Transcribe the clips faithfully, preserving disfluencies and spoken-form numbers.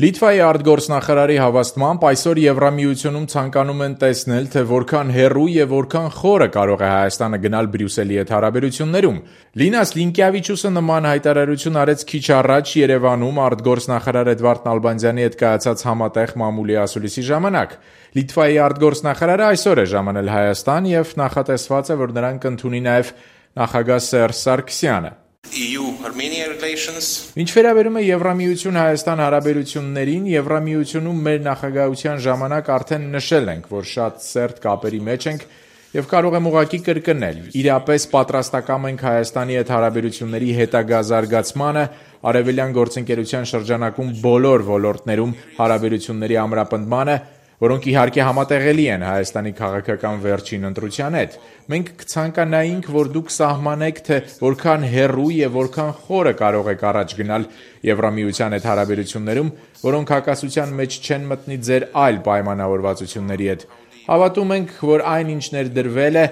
Լիտվայի արտգործնախարարի հավաստմամբ այսօր Եվրամիությունում ցանկանում են տեսնել, թե որքան հեռու եւ որքան խորը կարող է Հայաստանը գնալ Բրյուսելի հետ հարաբերություններում։ Լինաս Լինկեավիչուսը նման հայտարարություն արեց քիչ առաջ Երևանում արտգործնախարար Էդվարդ Նալբանդյանի հետ կայացած համատեղ մամուլի ասուլիսի ժամանակ։ Լիտվայի արտգործնախարարը այսօր է ժամանել Հայաստան եւ նախատեսված է, որ նրան կընդունի նաեւ նախագահ Սերժ Սարգսյանը։ E U-Armenia relations. Ինչ վերաբերում է Եվրամիություն-Հայաստան հարաբերություններին, Եվրամիությունում մեր նախագահության ժամանակ արդեն նշել ենք, որ շատ սերտ կապերի մեջ ենք եւ կարող եմ ուղղակի կրկնել. իրապես պատրաստակամ ենք Հայաստանի հետ հարաբերությունների հետագա զարգացմանը, արևելյան գործընկերության շրջանակում բոլոր ոլորտներում հարաբերությունների ամրապնդմանը, որոնք իհարկե համատեղելի են Հայաստանի քաղաքական վերջին ընտրության հետ։ Մենք կցանկանայինք, որ դուք սահմանեք, թե որքան հեռու եւ որքան խորը կարող եք առաջ գնալ Եվրամիության հետ հարաբերություններում, որոնք հակասության մեջ չեն մտնի ձեր այլ պայմանավորվածությունների հետ։ Հավատում ենք, որ այն, ինչ ներդրվել է,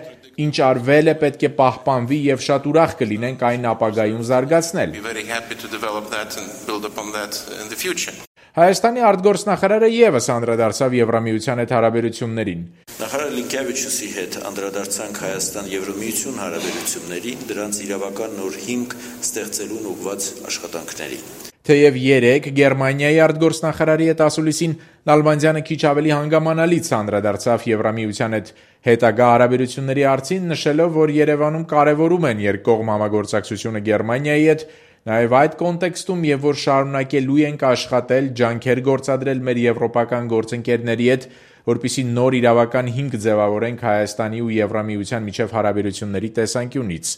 ինչ արվել է, պետք է պահպանվի եւ շատ ուրախ կլինենք այն ապագայում զարգացնել։ We're very happy to develop that and build upon that in the future. Հայաստանի արտգործնախարարը եւս անդրադարձավ Եվրամիության հետ հարաբերություններին։ Նախարար Լինկեավիչուսի հետ անդրադարձանք Հայաստան-Եվրամիություն հարաբերություններին, դրանց իրավական նոր հիմք ստեղծելուն ուղղված աշխատանքների։ Թեև երեկ Գերմանիայի արտգործնախարարի հետ ասուլիսին Նալբանդյանը քիչ ավելի հանգամանալից անդրադարձավ Եվրամիության հետ հետագա հարաբերությունների հարցին, նշելով, որ Երևանում կարևորում են երկկողմ համագործակցությունը Գերմանիայի հետ, նաև այդ կոնտեքստում եւ որ շարունակելու ենք աշխատել, ջանքեր գործադրել մեր եվրոպական գործընկերների հետ, որպեսզի նոր իրավական հիմք ձևավորենք Հայաստանի ու Եվրամիության միջև հարաբերությունների տեսանկյունից։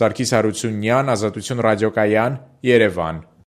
Սարգիս Հարությունյան, Ազատություն ռադիոկայան, Երևան։